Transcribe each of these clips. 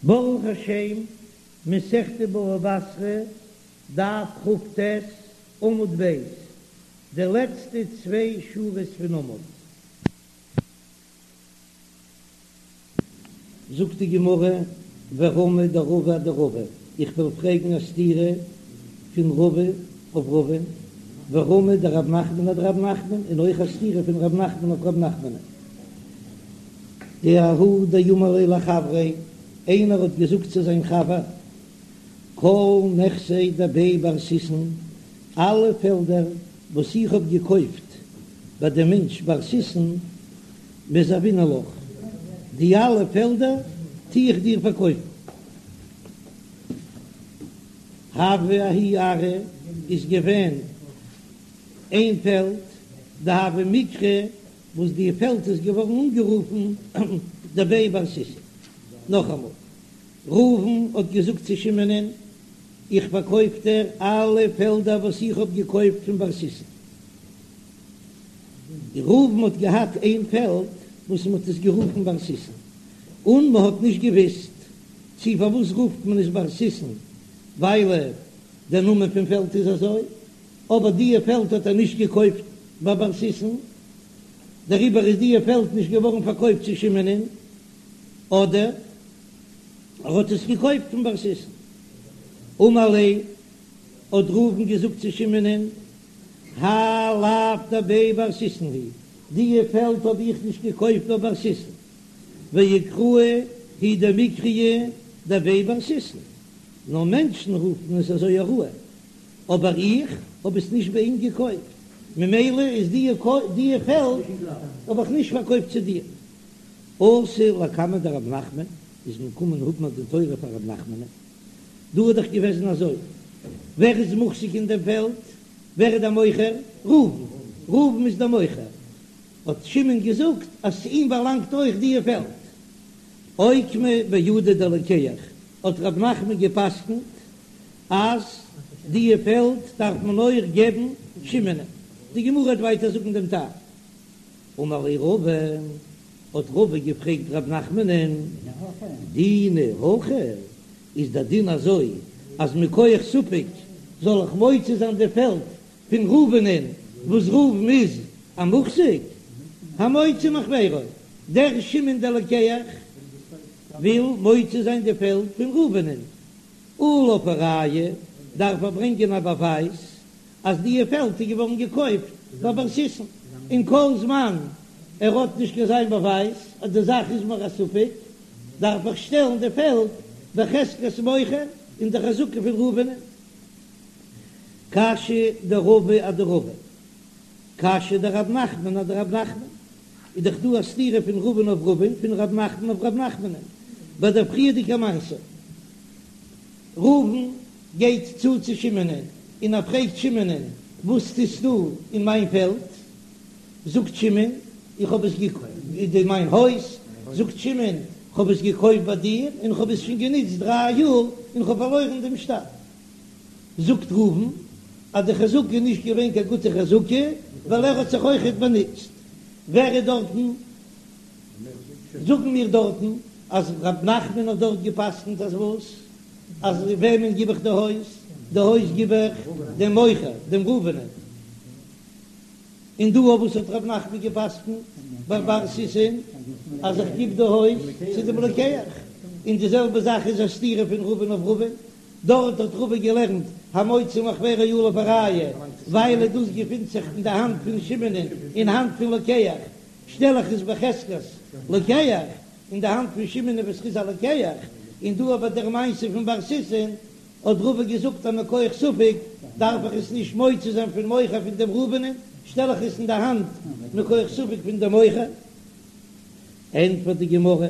ברוך השם, מסכת בבא בתרא, דף כ"ט, עמוד ב', די לעצטע צוויי שורות פון עמוד. זאגט די גמרא, ורמי דרבא אדרבא, איך וועל פרעגן א סתירה פון רבא אויף רבא, ורמי דרב נחמן אדרב נחמן, און אויך א סתירה פון רב נחמן אויף רב נחמנ'ן. דההוא דאמר ליה לחבריה, איינער האט געזאגט צו זיין חבר, כל נכסי דבי בר סיסון, אלע פעלדער וואס איך האב געקויפט ביי דעם מענטש בר סיסון, מזבינא לך, די אלע פעלדער טו איך דיר פארקויפן. הוה ההוא ארעא איז געווען איין פעלד, דהוה מיקרי וואס די פעלד איז געווארן אנגערופן דבי בר סיסון. נאכאמאל, ראובן האט געזאגט צו שמעונ'ען, איך פארקויף דיר אלע פעלדער וואס איך האב געקויפט פון בר סיסון. ראובן האט געהאט איין פעלד וואס מען האט עס גערופן בר סיסון, און מען האט נישט געוויסט צו פארוואס רופט מען עס בר סיסון, ווייל דער נאמען פון פעלד איז אזוי, אבער דיע פעלד האט ער נישט געקויפט ביי בר סיסון, דעריבער איז דיע פעלד נישט געווארן פארקויפט צו שמעונ'ען, אדער ער האט עס געקויפט פון בר סיסון. אמר ליה, האט ראובן געזאגט צו שמעונ'ען, האי לאו דבי בר סיסון הוא, דיע פעלד האב איך נישט געקויפט ביי בר סיסון, ואיקרויי הוא דמיקריי דבי בר סיסון, נאר מענטשן רופן עס אזוי ארוע, אבער איך האב עס נישט ביי אים געקויפט, ממילא איז דיע פעלד האב איך נישט פארקויפט צו דיר. אתו לקמיה דרב נחמן, איז מען געקומען האבן א דין תורה פאר רב נחמנ'ן, דא איז דאך געוועזן אזוי, ווער איז מוחזק אין דעם פעלד? ווער איז דער מוכר? ראובן, ראובן איז דער מוכר, האט שמעון געזאגט אז צו אים באלאנגט אויך דיע פעלד. אוקמה בידא דלוקח, האט רב נחמן גע'פסק'נט אז דיע פעלד דארף מען אויך געבן שמעונ'ען. די גמרא וועט ווייטער זאגן דעם טעם. אמר ליה רבא, האט רבא געפרעגט רב נחמנ'ן, דינא הכי, איז דער דין אזוי אז מכח ספק זאל איך מוציא זיין די פעלד פון ראובנ'ן וואס ראובן איז א מוחזק? המוציא מחבירו, דער שמעון דער לוקח וויל מוציא זיין די פעלד פון ראובנ'ן, עליו הראיה, דארף ער ברענגען א באווייז אז דיע פעלד איז געווארן געקויפט ביי בר סיסון, און כל זמן ער האט נישט קיין זיין באווייז אז די זאך איז מיר א ספק, דארף איך שטעלן די פעלד בחזקת מוכר אין די חזקה פון ראובנ'ן. קשיא דרבא אדרבא, קשיא דרב נחמן אדרב נחמן, איז דאך דא א סתירה פון רבא'ן אויף רבא'ן, פון רב נחמן אויף רב נחמנ'ן, ביי דער פריערדיגער מעשה. ראובן גייט צו צו שמעונ'ען און ער פרעגט שמעונ'ען, וואס טוסטו אין מיין פעלד? זאגט שמעון, איך האב עס געקויפט, אין מיין הויז, זאגט שמעון, איך האב עס געקויפט ביי דיר און איך האב עס שוין גענוצט דריי יאר און איך האב פארלוירן דעם שטר. זאגט ראובן אז די חזקה איז נישט געווען קיין גוטע חזקה ווייל ער האט זיך אויכעט באנוצט. ווער איז דארטן? זאגן מיר דארטן אז ר' נחמן האט דארט גע'פסק'נט אז וואס? אז וועמען גיב איך די הויז? די הויז גיב איך דעם מוכר, דעם ראובנ'ען. און דא אויף וואס האט ר' נחמן גע'פסק'נט ביי בר סיסון אז איך גיב די הויז צו דעם לוקח? און די זעלבע זאך איז א סתירה פון רבא'ן אויף רבא'ן, דארט האט רבא געלערנט המוציא מחבירו עליו הראיה, ווייל דאס געפינט זיך אין די האנט פון שמעונ'ען אין האנט פון לוקח, שטעל איך עס בחזקת לוקח אין די האנט פון שמעון וואס איז א לוקח, און דא אבער דער מעשה פון בר סיסון האט רבא געזאגט אז מכח ספק דארף איך עס נישט מוציא זיין פון מוכר פון דעם ראובנ'ען, שטעל איך עס אין די האנט מכח ספק פון דעם מוכר. ענטפערט די גמרא,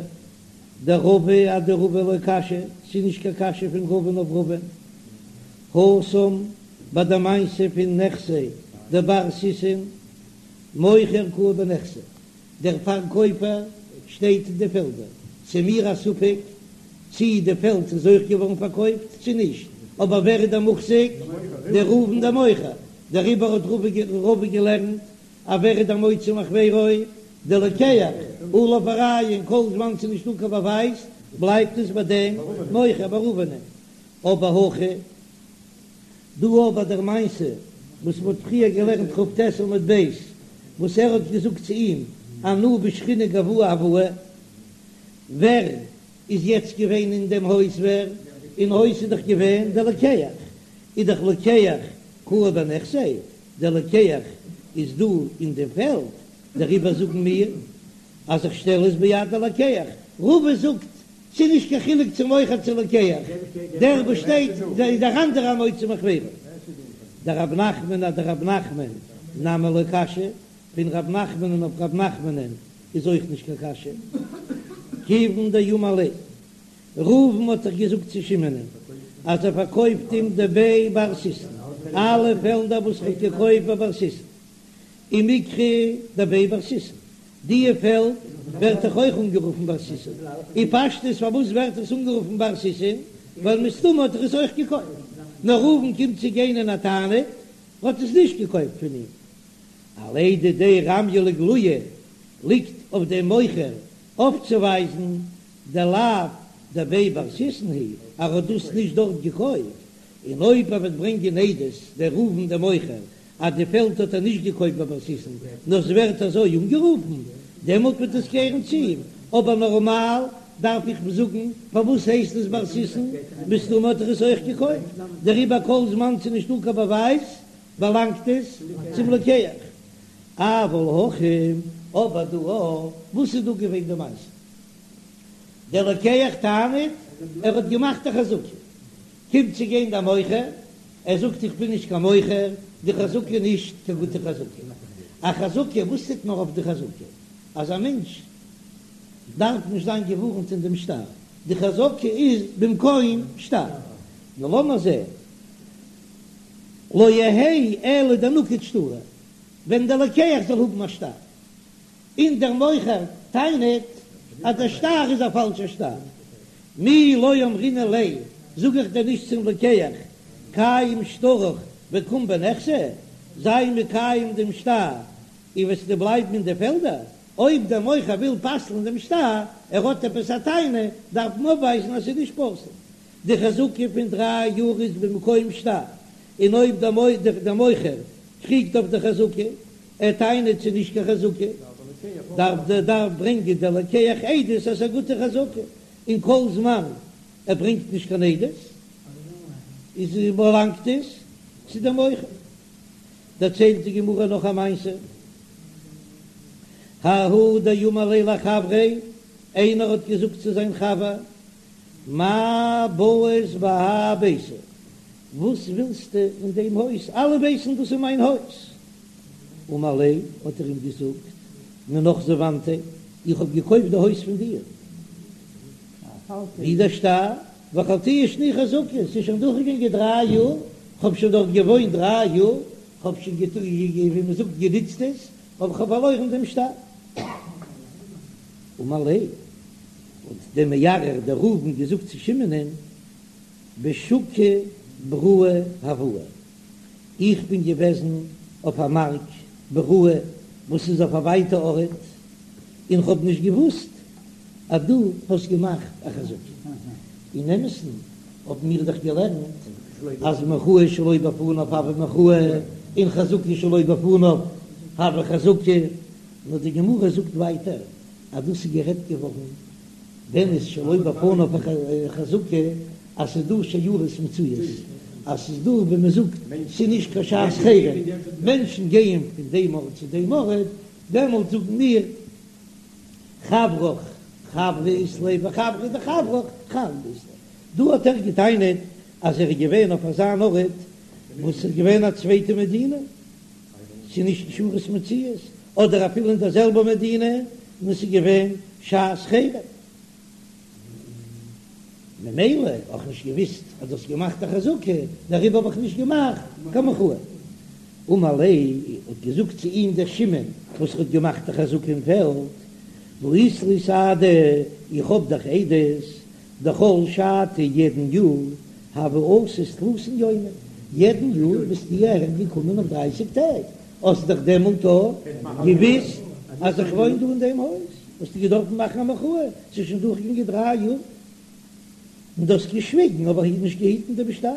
דרבא אדרבא לא קשיא, ס'איז נישט קיין קשיא פון רבא'ן אויף רבא'ן, התם ביי די מעשה פון נכסי דבר סיסון, מוכר קאי בנכסי, דער פארקויפער שטייט אין די פעלדער, ס'איז מיר א ספק צי די פעלד איז אויך געווארן פארקויפט צי נישט, אבער ווער איז דער מוחזק? דער ראובן דער מוכר, דעריבער האט רבא געלערנט אז ווער איז דער מוציא מחבירו? דלוקח עליו הראיה און כל זמן ס'איז נישטא קיין באווייז בלייבט עס ביי דעם מוכר ביי ראובנ'ען. אבער הכא דא ביי דער מעשה וואס מ'האט פריער געלערנט כ"ט עמוד ב' וואס ער האט געזאגט צו אים אנא בשכינה גואי הואי ווער איז יעצט געווען אין דעם הויז ווער אין הויז איז דאך געווען דער לוקח איז דאך לוקח קאי בנכסיה דער לוקח איז דא אין דעם פעלד דעריבער זאגן מיר אז איך שטעל עס ביד הלוקח רבא זאגט ס'איז נישט קיין חילוק צו מוכר צו לוקח, דער וואס שטייט איז דער אנדערע המוציא מחבירו. דרב נחמן אדרב נחמן נמי לא קשיא, פון רב נחמנ'ן אויף רב נחמנ'ן איז אויך נישט קיין קשיא. כיוון דאמר ליה, ראובן האט דאך געזאגט צו שמעונ'ן אז ער פארקויפט אים דבי בר סיסון, אלע פעלדער וואס ער האט געקויפט ביי בר סיסון, ומיקרי דבי בר סיסון, דיע פעלד ווערט דאך אויך אנגערופן בר סיסון, און פשטות פארוואס ווערט עס אנגערופן בר סיסון, ווייל מסתמא האט ער עס אויך געקויפט, נאר ראובן קומט צו גיין און ער טענה'ט ער האט עס נישט געקויפט פון אים. עליה דידיה רמיא לאיגלויי ליגט אויף דעם מוכר אויפצואווייזן דלאו דבי בר סיסון הוא, ער האט דאס נישט דארט געקויפט, און אויב ער וועט ברענגען עדות דער ראובן דער מוכר אז די פעלד האט ער נישט געקויפט ביי בר סיסון, נאר ס'ווערט אזוי אנגערופן, דעמאלט וועט עס קערן צו אים, אבער נארמאל דארף איך זאגן, פארוואס הייסט עס בר סיסון, מסתמא האט ער עס אויך געקויפט, דעריבער כל זמן ס'איז נישטא קיין באווייז באלאנגט עס צום לוקח. אבל הכא, אבער דא וואס איז דא געווען די מעשה? דער לוקח טענה'ט ער האט געמאכט א חזקה, קומט צו גיין דער מוכר, ער זאגט איך בין נישט קיין מוכר, די חזקה איז נישט קיין גוטע חזקה. א חזקה, וואס טוט מען אויף די חזקה? אז א מענטש דארף נישט זיין געווארנט אין דעם שטר, די חזקה איז במקום שטר. נו לאמיר זען, לא יהא אלא דנקיט שטרא, ווען דער לוקח זאל האבן א שטר, און דער מוכר טענה'ט אז דער שטר איז א פאלשער שטר, מי לא אמרינן ליה, זאג איך דען נישט צום לוקח, קיים שטרך וקום בנכסי, זיי מקיים דעם שטר און וועסטו בלייבן אין די פעלדער, אויב דער מוכר וויל פסל'ן דעם שטר, ער האט עפעס א טענה, דארף מען אויפווייזן אז ס'איז נישט פסול. די חזקה פון דריי יאר איז במקום שטר, און אויב דער מוכר קריגט אויף די חזקה, ער טענה'ט ס'איז נישט קיין חזקה, דארף דער דארף ברענגען דער לוקח עדות אז ס'איז א גוטע חזקה, און כל זמן ער ברענגט נישט קיין עדות איז באלאנגט עס צו דעם מוכר. דערציילט די גמרא נאך א מעשה, ההוא דאמר ליה לחבריה, איינער האט געזאגט צו זיין חבר, מאי בעית בהאי ביתא, וואס ווילסטו אין דעם הויז, אלע ווייסן דאס איז מיין הויז. אמר ליה, האט ער אים געזאגט, מינך זבנתיה, איך האב געקויפט די הויז פון דיר, ווי דער שטר, ואכלתיה שני חזקה, ס'איז שוין דורכגעגאנגען דריי יאר, כ'האב שוין דארט געוואוינט דריי יאר, כ'האב שוין ווי מ'זאגט גענוצט עס, אבער כ'האב פארלוירן דעם שטר. אמר ליה, האט דער מערער דער ראובן געזאגט צו שמעונ'ען, בשוקא בראי הואי, איך בין געוועזן אויף א מארק בראי וואס איז אויף א ווייטע ארט, און כ'האב נישט געוואוסט אז דו האסט געמאכט א חזקה. אין אמת'ן האבן מיר דאך געלערנט אז מחאה שלא בפניו הויא מחאה, און חזקה שלא בפניו הויא חזקה, נאר די גמרא זאגט ווייטער אז דאס איז גערעדט געווארן ווען איז שלא בפניו חזקה אז ס'איז דא שיירות מצויות, אז ס'איז דא ווי מ'זאגט ס'איז נישט קיין שעת חירום, מענטשן גייען פון דעם ארט צו דעם ארט, דעמאלט זאגן מיר חברך חברא אית ליה וחברא דחברך חברא אית ליה. דא האט ער געטענה'ט אז ער איז געווען אויף אזא אן ארט וואס איז געווען א צווייטע מדינה, ס'איז נישט שיירות מצויות, אדער אפילו אין דער זעלבער מדינה, און עס איז געווען שעת חירום. ממילא האב איך נישט געוויסט אז דו האסט געמאכט א חזקה, דעריבער האב איך נישט געמאכט קיין מחאה. אמר ליה, האט געזאגט צו אים דער שמעון וואס האט געמאכט א חזקה אין פעלד, והא אית לי סהדי, איך האב דאך עדות, דכל שתא יעדן יאר הוה אתית תלתין יומין, יעדן יאר ביסטו אהער געקומען אויף דרייסיג טעג, האסט דאך דעמאלט אויך געוויסט. אז איך וואוין דא אין דעם הויז, האסטו געדארפן מאכן א מחאה, ס'איז שוין דורכגעגאנגען דריי יאר און דו האסט געשוויגן האב איך נישט געהיטן דעם שטר.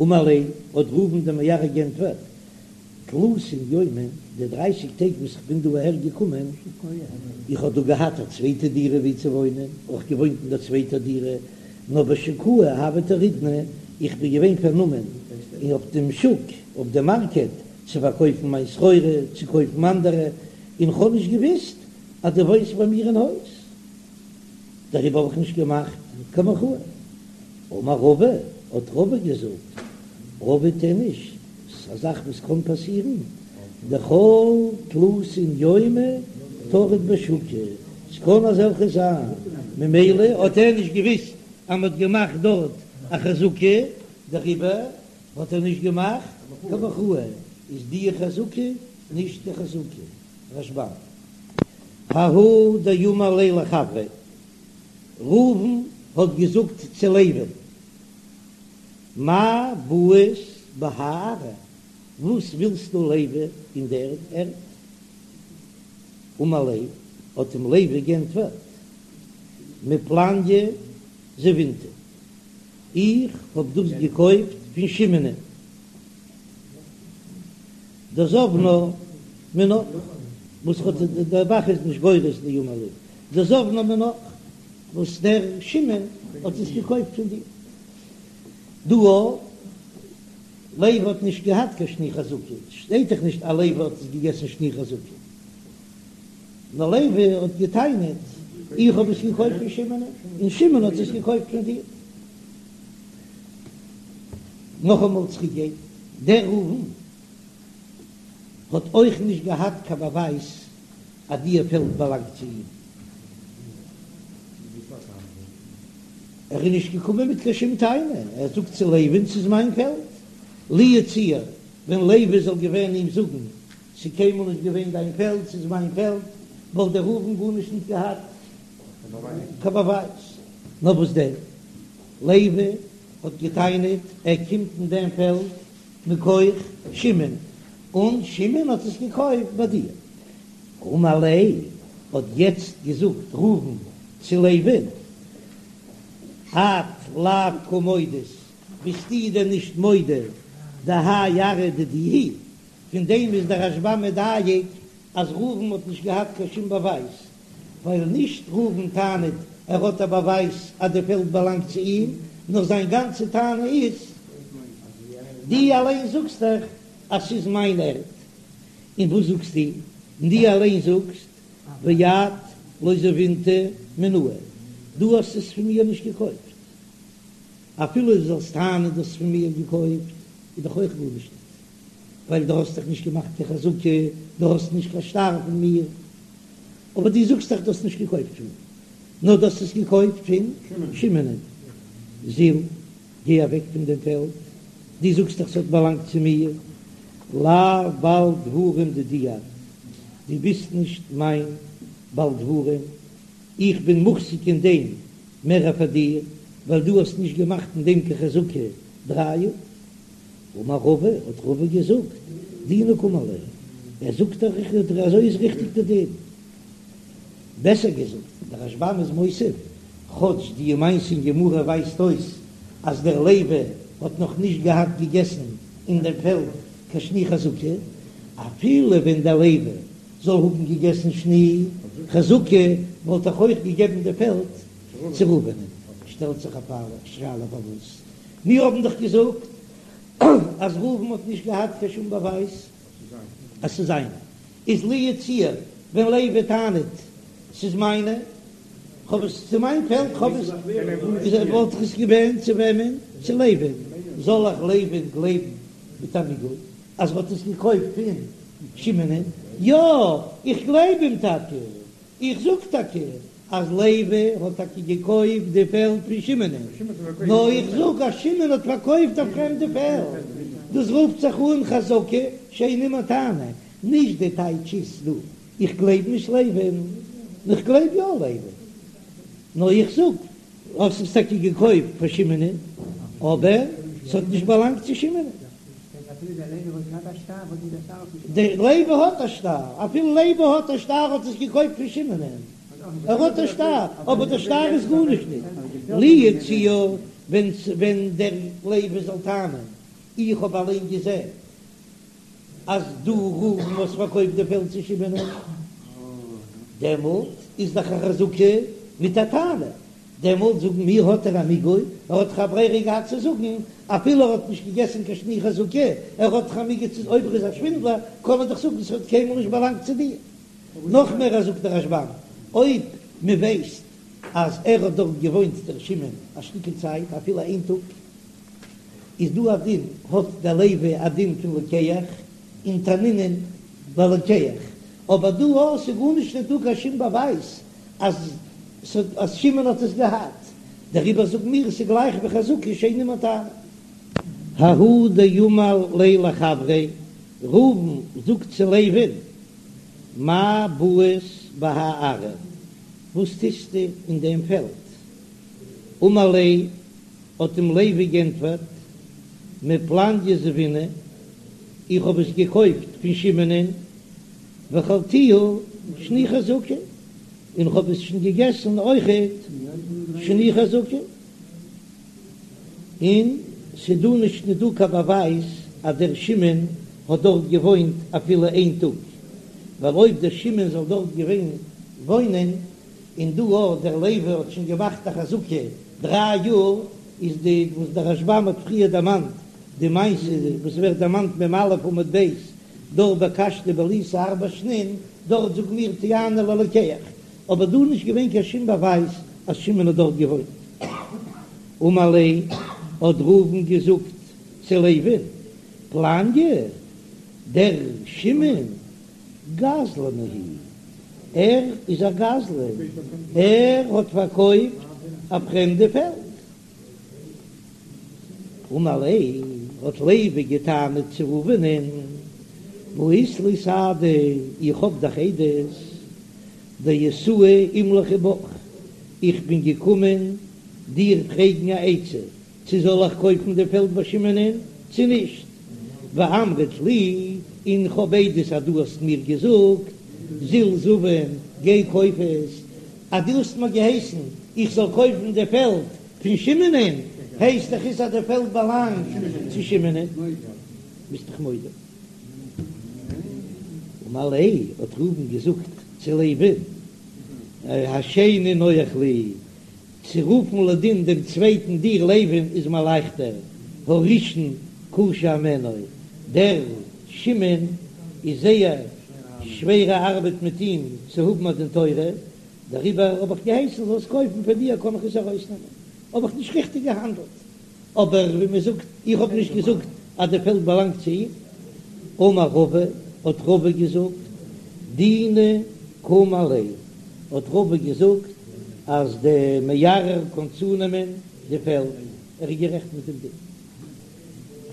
אמר ליה, האט ראובן דעם מערער געענטפערט, תלתין יומין, די דרייסיג טעג וואס איך בין דא אהער געקומען, איך האב דא געהאט א צווייטע דירה ווי צו וואוינען, אויך געוואוינט אין דער צווייטער דירה, נאר בשוקאי הוה טרידנא, איך בין געווען פארנומען אויף דעם שוק, אויף דעם מארקעט, צו פארקויפן מיין סחורה, צו קויפן אנדערע, און כ'האב נישט געוואוסט אז דו וואוינסט ביי מיר אין הויז, דעריבער האב איך נישט געמאכט קיין מחאה. אמר רבא, האט רבא געזאגט, עביד איניש, ס'איז א זאך וואס קען פאסירן, דכל תלתין יומי טריד בשוקא, ס'קען אזעלכע זיין, ממילא האט ער נישט געוויסט אז מ'האט געמאכט דארט א חזקה, דעריבער האט ער נישט געמאכט קיין מחאה, איז די חזקה נישט קיין חזקה. רשב"ם. ההוא דאמר ליה לחבריה, ראובן האט געזאגט צו לוי'ן, מאי בעית בהאי ארעא, וואס ווילסטו לוי אין דער ערד? אמר ליה, האט אים לוי גענטפערט, מפלניא זבינתיה, איך האב דאס געקויפט פון שמעונ'ען, דזבנה מינך, וואס האט דער ב"ח איז נישט גורס דאמר ליה, דזבנה מינך, וואס דער שמעון האט עס געקויפט פון דיר. דא לוי האט נישט געהאט קיין שני חזקה, שטייט דאך נישט אז לוי האט עס געגעסן שני חזקה, נאר לוי האט געטענה'ט איך האב עס געקויפט פון שמעון און שמעון האט עס געקויפט פון דיר. נאכאמאל צוריק גיין, דער ראובן האט אויך נישט געהאט קיין באווייז אז דיע פעלד באלאנגט צו אים. ער איז נישט געקומען מיט קיין שום טענה, ער זאגט צו לוי'ן ס'איז מיין פעלד, לו יצוייר ווען לוי זאל געווען אים זאגן ס'איז קיינמאל נישט געווען דיין פעלד ס'איז מיין פעלד, וואלט דער ראובן גארנישט נישט געהאט קיין באווייז. נאר וואס דען, לוי האט געטענה'ט ער קומט אין דעם פעלד מכח שמעון, און שמעון האט עס געקויפט ביי דיר. אמר ליה, האט יעצט געזאגט ראובן צו לוי'ן, את לאו קא מודית, ביסטו דען נישט מודה דהאי ארעא דידי היא? פון דעם איז דער רשב"ם מדייק אז ראובן האט נישט געהאט קיין שום באווייז, ווייל נישט ראובן טענה'ט ער האט א באווייז אז די פעלד באלאנגט צו אים, נאר זיין גאנצע טענה איז, דו אליין זאגסט דאך אז ס'איז מיין ערד, און וואס זאגסטו? און דו אליין זאגסט ואת לא זבינתה מינאי, דו האסט עס פון מיר נישט געקויפט. אפילו דו זאלסט טענה'ן דו האסט עס פון מיר געקויפט, איז דאך אויך גארנישט ניט, ווייל דו האסט דאך נישט געמאכט קיין חזקה, דו האסט נישט קיין שטר פון מיר. אבער דו זאגסט דאך דו האסט נישט געקויפט פון מיר, נאר דו האסט עס געקויפט פון שמעונ'ען. זיל, גיי אוועק פון דעם פעלד, דו זאגסט דאך ס'האט באלאנגט צו מיר, לאו בעל דברים דידי את, דו ביסט נישט מיין בעל דברים, איך בין מוחזק אין דעם מער פאר דיר, ווייל דו האסט נישט געמאכט אין דעם קיין חזקה דריי יאר. אמר רבא, האט רבא געזאגט, דינא קאמר ליה, ער זאגט דאך אזוי איז ריכטיג די דין. בעסער געזאגט, דער רשב"ם איז מוסיף, כאטש די מעשה אין גמרא ווייזט אויס אז דער לוי האט נאך נישט געהאט געגעסן אין דעם פעלד קיין שני חזקה, אפילו ווען דער לוי זאל האבן געגעסן שני חזקה וואלט ער אויך געגעבן די פעלד צו ראובנ'ען. שטעלט זיך א שאלה פארוואס מיר האבן דאך געזאגט אז ראובן האט נישט געהאט קיין שום באווייז אז ס'איז זיינע. איז לו יצוייר ווען לוי טענה'ט ס'איז מיינע, כ'האב עס צו מיין פעלד, כ'האב עס, איז ער וואלט איך עס געווען צו וועמען? צו לוי'ן. זאל איך לוי'ן גלייבן מיט א מיגו אז ר'האט עס געקויפט פון שמעונ'ען? יא, איך גלייב אים טאקע, איך זאג טאקע אז לוי האט טאקע געקויפט די פעלד פון שמעונ'ען, נאר איך זאג אז שמעון האט פארקויפט א פרעמדע פעלד, דאס רופט זיך אן חזקה שאין עמה טענה, נישט די טייטש איז דא, איך גלייב נישט לוי'ן, איך גלייב יא לוי'ן, נאר איך זאג, האסט עס טאקע געקויפט פאר שמעונ'ען, אבער ס'האט נישט באלאנגט צו שמעונ'ען. דער לוי האט א שטר, אפילו לוי האט א שטר האט עס געקויפט פון שמעונ'ען, ער האט א שטר, אבער דער שטר איז גארנישט ניט. לו יצוייר ווען ווען דער לוי זאל טענה'ן, איך האב אליין געזען אז דו ראובן האסט פארקויפט די פעלד צו שמעונ'ען, דעמאלט איז דאך א חזקה מיט א טענה, דעמאלט זאגן מיר האט ער א מיגו, ער האט דאך א ברירה געהאט צו זאגן אפילו ער האט נישט געגעסן קיין שני חזקה, ער האט דאך א מיגו צו אויב ער איז א שווינדלער קען ער דאך זאגן ס'האט קיינמאל נישט באלאנגט צו דיר. נאך מער אז זאגט דער רשב"ם אויב מען ווייסט אז ער האט דארט געוואוינט דער שמעון א שטיקל צייט אפילו איין טאג איז דא א דין האט דער לוי א דין פון לוקח און תנינן ללוקח אבער דא אז ס'איז גארנישט נישט דא קיין שום באווייז אז אז שמעון האט עס געהאט, דעריבער זאגן מיר עס איז גלייך ווי חזקה שאין עמה טענה. ההוא דאמר ליה לחבריה, ראובן זאגט צו לוי'ן, מאי בעית בהאי ארעא, וואס טוסטו אין דעם פעלד? אמר ליה, האט אים לוי גענטפערט, מפלניא זבינא, איך האב עס געקויפט פון שמעונ'ען, ואכלתיה שני חזקה, און כ'האב עס שוין געגעסן אויכעט שני חזקה, און ס'דא נישט נישט דא קיין באווייז אז דער שמעון האט דארט געוואוינט אפילו איין טאג, ווייל אויב דער שמעון זאל דארט געווען וואוינען, און דא אויך דער לוי האט שוין געמאכט א חזקה דריי יאר, איז די וואס דער רשב"ם האט פריער דערמאנט די מעשה וואס ווערט דערמאנט מ"א עמוד ב', דארט בקשתיה בליתיה ארבע שנין, דארט זאגן מיר טענה ללוקח, אבער דא איז נישט געווען קיין שום באווייז אז שמעון האט דארט געוואוינט. אמר ליה, האט ראובן געזאגט צו לוי'ן, פלניא, דער שמעון, גזלנא הוא, ער איז א גזלן, ער האט פארקויפט א פרעמדע פעלד. אמר ליה, האט לוי געטענה'ט צו ראובנ'ען, והא אית לי סהדי, איך האב דאך עדות, דאתאי אימלכי בך, איך בין געקומען דיר פרעגן א עצה, צו זאל איך קויפן די פעלד ביי שמעונ'ען צו נישט, ואמרת לי, און איך האב עדות אז דו האסט מיר געזאגט, זיל זבין, גיי קויף עס, אז דו האסט מיר געהייסן איך זאל קויפן די פעלד פון שמעונ'ען, הייסט דאך עס אז די פעלד באלאנגט צו שמעונ'ען, ביסט דאך מודה. אמר ליה, האט ראובן געזאגט צו לוי'ן, השני נוח לי, צו רופן לדין דעם צווייטן דיר לוי'ן איז מיר לייכטער, הראשון קשה הימנו, דער שמעון איז זייער שווערע ארבעט מיט אים צו האבן א דין תורה, דעריבער האב איך געהייסן זאלסט קויפן פון דיר קען איך עס ארויסנעמען, האב איך נישט ריכטיג געהאנדלט, אבער ווי מען זאגט, איך האב נישט געזאגט אז די פעלד באלאנגט צו אים. אמר רבא, האט רבא געזאגט, דינא קם עליה, האט רבא געזאגט אז די מערער קען צונעמען די פעלד, ער איז גערעכט מיט דעם דין.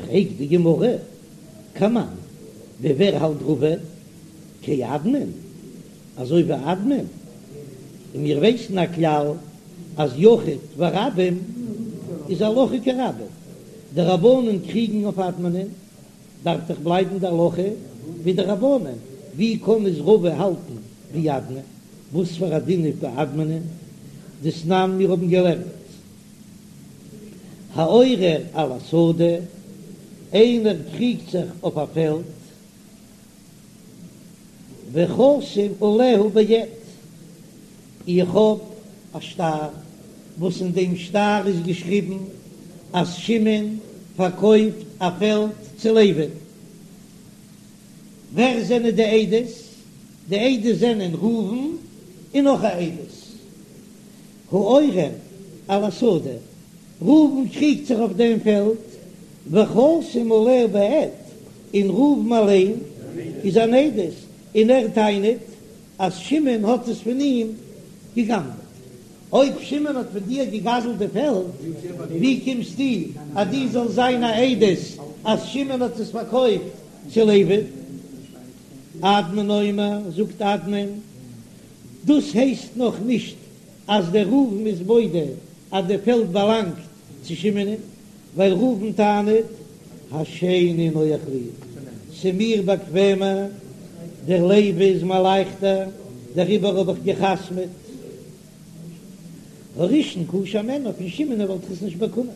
פרעגט די גמרא, כמאן, ווי ווער האלט רבא? כאדמון, אזוי ווי אדמון, און מיר ווייסן א כלל אז יחיד ורבים איז הלכה כרבים, די רבנן קריגן אויף אדמונ'ען, דארף דאך בלייבן די הלכה ווי די רבנן, ווי קען עס רבא האלטן ווי אדמון? וואס פאר א דין איז ביי אדמונ'ען? דתנן מיר האבן געלערנט העורר על השדה, איינער קריגט זיך אויף א פעלד, וחתום עליה בעד, איך האב א שטר וואס אין דעם שטר איז געשריבן אז שמעון פארקויפט א פעלד צו לוי'ן. ווער זענען די עדות? די עדות זענען ראובן און נאך א עדות. העורר על השדה, ראובן קריגט זיך אויף דעם פעלד, וחתום עליה בעד, און ראובן אליין איז אן עדות, און ער טענה'ט אז שמעון האט עס פון אים גע'גנב'עט. אויב שמעון האט פון דיר גע'גזל'ט די פעלד, ווי קומסטו אז דו זאלסט זיין א עדות אז שמעון האט עס פארקויפט צו לוי'ן? אדמון אומר, זאגט אדמון, דאס הייסט נאך נישט אז דער ראובן איז מודה אז די פעלד באלאנגט צו שמעונ'ען, ווייל ראובן טענה'ט. השני נוח לי, ס'מיר באקוועמער, דער לוי איז מיר לייכטער, דעריבער האב איך גע'חתמ'עט. הראשון קשה הימנו, פון שמעון וואלט איך עס נישט באקומען.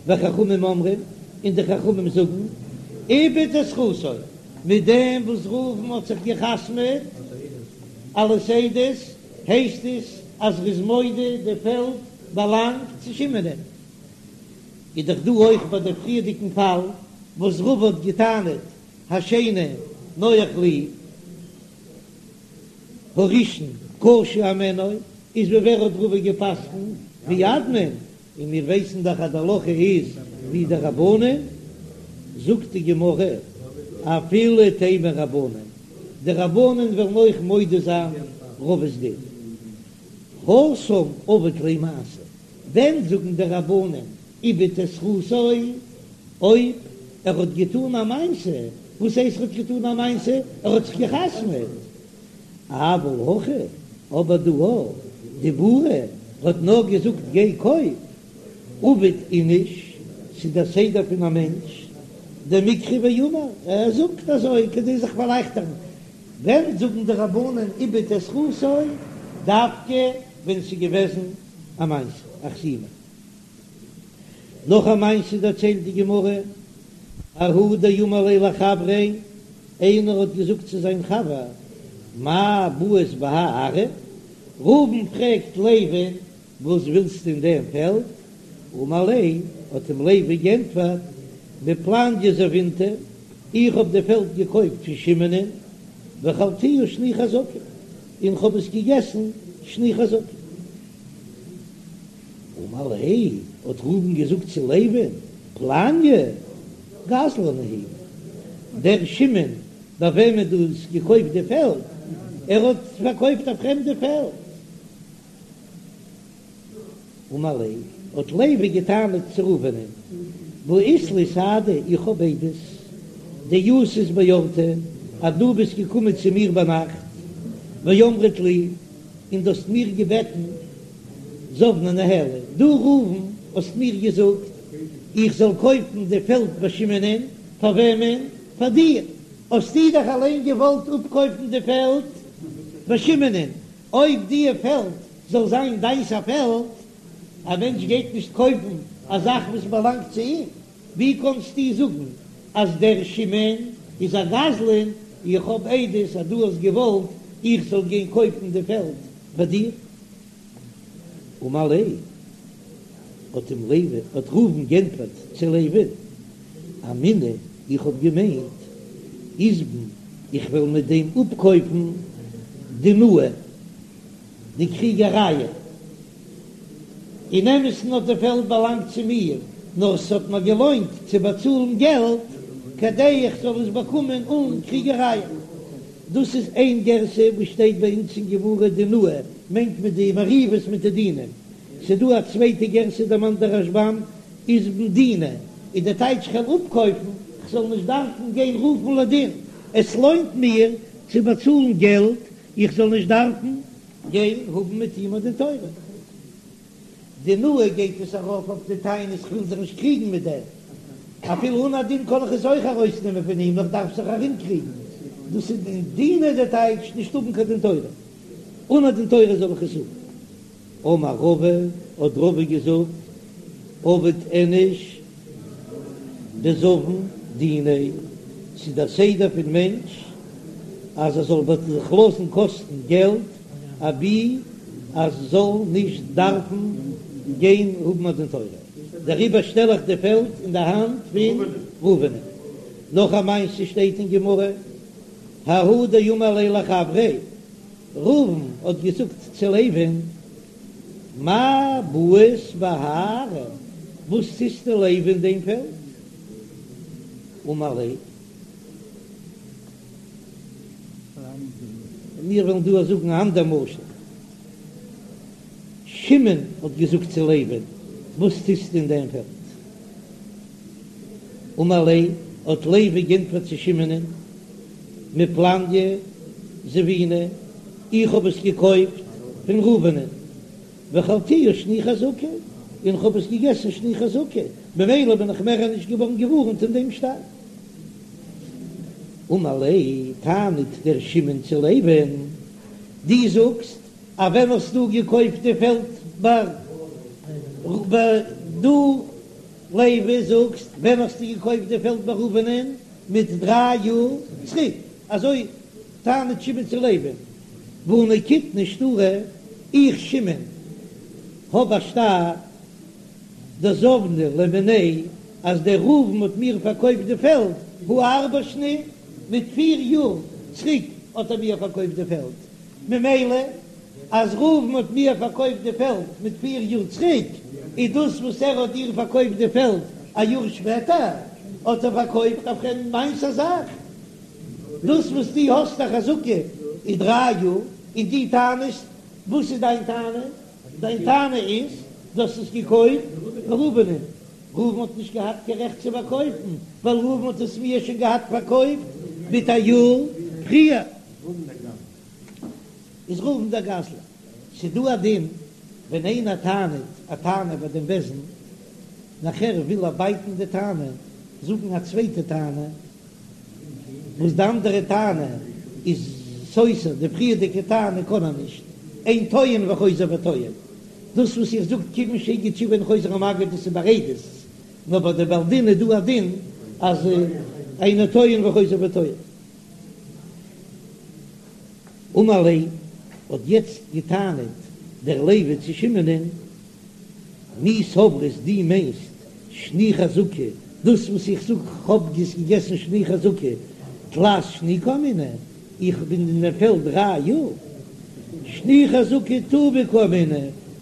וחכמים אומרים, און די חכמים זאגן, איבד את זכותו, מיט דעם וואס ראובן האט זיך גע'חתמ'עט אלס עדות, הייסט עס אז ר'איז מודה די פעלד באלאנגט צו שמעונ'ען. איז דאך דא אויך ביי די פריערדיגן פאל וואס רבא האט געטענה'ט השני נוח לי הראשון קשה הימנו, איז ווי ווער האט רבא גע'פסק'נט ווי אדמון, און מיר ווייסן דאך אז די הלכה איז ווי די רבנן, זאגט די גמרא אפילו תימא רבנן, די רבנן וועלן אויך מודה זיין רבא'ס דין, התם עביד ליה מעשה, ווען זאגן די רבנן איבד את זכותו אויב ער האט געטאן א מעשה, וואס הייסט ער האט געטאן א מעשה? ער האט זיך גע'חתמ'עט. אבל הכא, אבער דא דיבורא, ער האט נאר געזאגט גיי קויף, עביד איניש, ס'איז דער סדר פון א מענטש, דמקרי ואמר, ער זאגט אזוי כדי זיך פארלייכטערן, ווען זאגן די רבנן איבד את זכותו דווקא ווען ס'איז געוועזן א מעשה, א חתימה. נאך א מעשה דערציילט די גמרא, ההוא דאמר ליה לחבריה, איינער האט געזאגט צו זיין חבר, מאי בעית בהאי ארעא? ראובן פרעגט לוי'ן, וואס ווילסטו אין דעם פעלד? אמר ליה, האט אים לוי גענטפערט, מפלניא זבינתה, איך האב די פעלד געקויפט פון שמעונ'ען, ואכלתיה שני חזקה, און כ'האב עס געגעסן שני חזקה. אמר ליה, האט ראובן געזאגט צו לוי'ן, פלניא גזלן הוא, דער שמעון ביי וועמען דו האסט געקויפט די פעלד, ער האט פארקויפט א פרעמדע פעלד. אמר ליה, האט לוי געטענה'ט צו ראובנ'ען, והא אית לי סהדי, איך האב עדות, דאתית באורתא, אז דו ביסט געקומען צו מיר ביינאכט, ואמרת לי, און דו האסט מיר געבעטן, זבנה ניהלי, דו ראובן האסט מיר געזאגט איך זאל קויפן די פעלד ביי שמעונ'ען, פאר וועמען? פאר דיר, האסטו דאך אליין געוואלט אפקויפן די פעלד ביי שמעונ'ען, אויב די פעלד זאל זיין דיינס א פעלד, א מענטש גייט נישט קויפן א זאך וואס באלאנגט צו אים, ווי קאנסטו זאגן אז דער שמעון איז א גזלן, איך האב עדות אז דו האסט געוואלט איך זאל גיין קויפן די פעלד פאר דיר. אמר ליה, האט אים לוי, האט ראובן גענטפערט צו לוי'ן, אמינא, איך האב געמיינט, איזבן, איך וועל מיט דעם אפקויפן דינאי, די קריגערייען. אין אמת'ן האט די פעלד באלאנגט צו מיר, נאר ס'האט מיר געלוינט צו באצאלן געלט כדי איך זאל עס באקומען אן קריגערייען. דאס איז איין גירסא וואס שטייט ביי אונז אין גמרא דינאי מיינט מען די מריבות מיט די דינים. ס'דא א צווייטע גירסא דערמאנט דער רשב"ם איזבן דינא איז די טייטש כ'וועל אפקויפן כ'זאל נישט דארפן גיין רופן לדין, עס לוינט מיר צו באצאלן געלט איך זאל נישט דארפן גיין האבן מיט אים א דין תורה. דינאי גייט עס ארויף אויף די טענות כ'וויל זיך נישט קריגן מיט דעם, אפילו אן א דין קען איך עס אויך ארויסנעמען פון אים נאר כ'דארף זיך ארומקריגן, דאס איז דינא די טייטש נישט האבן קיין דין תורה, אן א דין תורה זאל איך עס האבן. אמר רבא, האט רבא געזאגט, עביד איניש דזבין דיניה, ס'איז דער סדר פון מענטש אז ער זאל זיך לאזן קאסטן געלט אבי אז זאל נישט דארפן גיין האבן א דין תורה, דעריבער שטעל איך די פעלד אין די האנט פון ראובן. נאך א מעשה שטייט אין גמרא, ההוא דאמר ליה לחבריה, ראובן האט געזאגט צו לוי'ן, מאי בעית בהאי ארעא, וואס טוסטו לוי אין דעם פעלד? אמר ליה. מיר וועלן דא זאגן א אנדער משל. שמעון האט געזאגט צו לוי'ן, וואס טוסטו אין דעם פעלד? אמר ליה, האט לוי גענטפערט צו שמעונ'ען, מפלניא זבינא, איך האב עס געקויפט פון ראובנ'ען, ואכלתיה שני חזקה, און איך האב עס געגעסן שני חזקה. ממילא בין איך מער נישט געווארן געווארנט אין דעם שטר. אמר ליה, טענה'ט דער שמעון צו לוי'ן, דו זאגסט אז ווען האסטו געקויפט די פעלד ביי דו לוי זאגסט ווען האסטו געקויפט די פעלד ביי ראובנ'ען מיט דריי יאר צוריק, אזוי טענה'ט שמעון צו לוי'ן, והא נקיטנא שטרא, איך שמעון האב א שטר דזבנא ליה מיניה אז דער ראובן האט מיר פארקויפט די פעלד הא ארבע שני, מיט פיר יאר צוריק האט ער מיר פארקויפט די פעלד, ממילא אז ראובן האט מיר פארקויפט די פעלד מיט פיר יאר צוריק, איז דאס וואס ער האט דיר פארקויפט די פעלד א יאר שפעטער, האט ער פארקויפט אויף אים מיינס א זאך. דאס וואס דו האסט א חזקה איז דריי יאר, און דו טענה'סט, וואס איז דיין טענה? דיין טענה איז דו האסט עס געקויפט ביי ראובנ'ען. ראובן האט נישט געהאט קיין רעכט צו פארקויפן, ווייל ראובן האט עס מיר שוין געהאט פארקויפט מיט א יאר פריער. איז ראובן דער גזלן. ס'איז דא א דין ווען איינער טענה'ט א טענה ביי דעם בית דין, נאכער וויל ער בייטן די טענה, זאגן א צווייטע טענה, וואס די אנדערע טענה איז סותר די פריערדיגע טענה קען ער נישט, אין טוען וחוזר וטוען. דאס וואס איך זאג כיוון שהגיד תשובה אינו חוזר ומגיד דאס איז ביי עדות, נאר ביי די בעל דין איז דא א דין אז אינו טוען וחוזר וטוען. אמר ליה, האט יעצט געטענה'ט דער לוי צו שמעונ'ען, מי סברת דו מיינסט שני חזקה, דאס וואס איך זאג כ'האב געגעסן שני חזקה, תלת שני קאמינא, איך בין אין דעם פעלד דריי יאר, שני חזקה טובא קאמינא,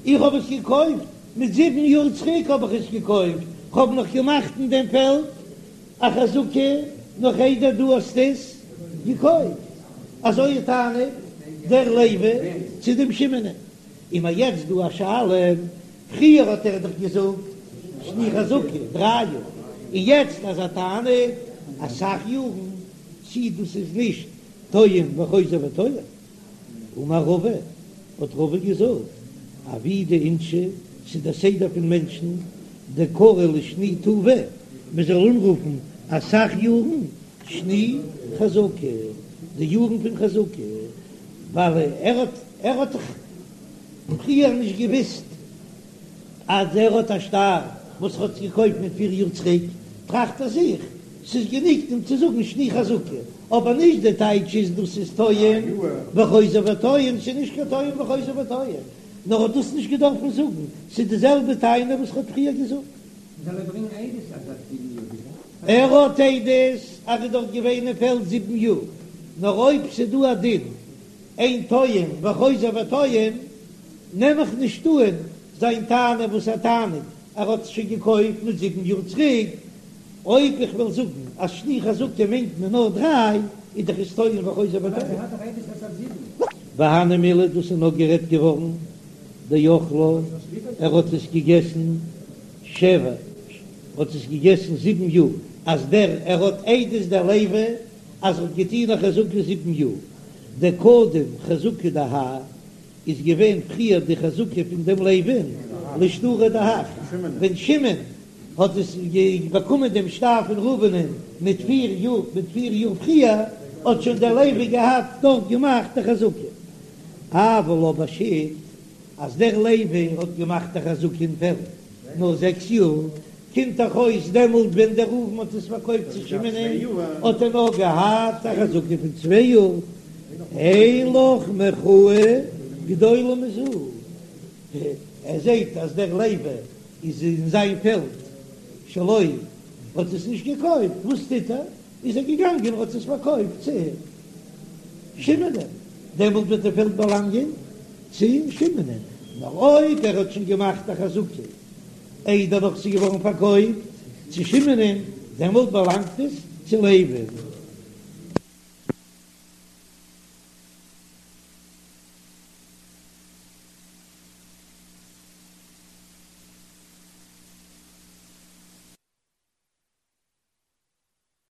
איך האב עס געקויפט מיט זיבן יאר צוריק האב איך עס געקויפט, כ'האב נאך געמאכט אין דעם פעלד א חזקה נאך איידער דו האסט עס געקויפט, אזוי טענה'ט דער לוי צו דעם שמעונ'ען. און מיר יעצט דא א שאלה, פריער האט ער דאך געזאגט שני חזקה דריי יאר, און יעצט אז ער טענה'ט אסאך יארן, צי דאס איז נישט טוען וחוזר וטוען. אמר רבא, האט רבא געזאגט, עבידי אינשי, ס'איז דער סדר פון מענטשן, דקרו לשני טובא, מען זאל אנרופן אסאך יארן שני חזקה, די יארן פון חזקה, ווייל ער האט ער האט דאך פריער נישט געוויסט אז ער האט א שטר וואס ער האט געקויפט מיט פיר יאר צוריק, טראכט ער זיך ס'איז גענוג אים צו זאגן שני חזקה, אבער נישט די טייטש איז דאס איז טוען וחוזר וטוען, ס'איז נישט קיין טוען וחוזר וטוען, נאר האט דאס נישט געדארפן זאגן, ס'איז די זעלבע טענה וואס ער האט פריער געזאגט. זאל ער ברענגען עדות אז ער האט זיבן יאר געזעסן? ער האט עדות אז ער איז דארט געווען אין פעלד זיבן יאר, נאר אויב ס'איז דא א דין אין טוען וחוזר וטוען, נעם איך נישט אן זיין טענה וואס ער טענה'ט ער האט עס שוין געקויפט מיט זיבן יאר צוריק, אויב איך וועל זאגן אז שני חזקה מיינט מען נאר דריי, איז דאך עס טוען וחוזר וטוען. והני מילי דאס איז נאר גערעדט געווארן דאכלה, ער האט עס געגעסן שבע, האט עס געגעסן זיבן יאר, אז דער ער האט עדות דער לוי אז ער האט געטון א חזקה זיבן יאר, דקדם חזקה דהאי איז געווען פריער די חזקה פון דעם לוי'ן לשטרא דהך, ווען שמעון האט עס באקומען דעם שטר פון ראובנ'ען מיט פיר יאר מיט פיר יאר פריער, האט שוין דער לוי געהאט דארט געמאכט די חזקה. אבל אבער שית אז דער לוי האט געמאכט א חזקה אין פעלד נאר זעקס יאר, קומט דאך אויס דעמאלט ווען דער ראובן האט עס פארקויפט צו שמעונ'ען האט ער נאר געהאט א חזקה פון צוויי יאר, אין לך מחאה גדולה מזו, ער זעט אז דער לוי איז אין זיין פעלד שלו האט עס נישט געקויפט, וואס טוט ער? איז ער געגאנגען און האט עס פארקויפט צו שמעונ'ען, דעמאלט וועט די פעלד באלאנגען צו שמעונ'ען, נאר אויב ער האט שוין געמאכט א חזקה איידער נאך ס'איז געווארן פארקויפט צו שמעונ'ען, דעמאלט באלאנגט עס צו לוי'ן.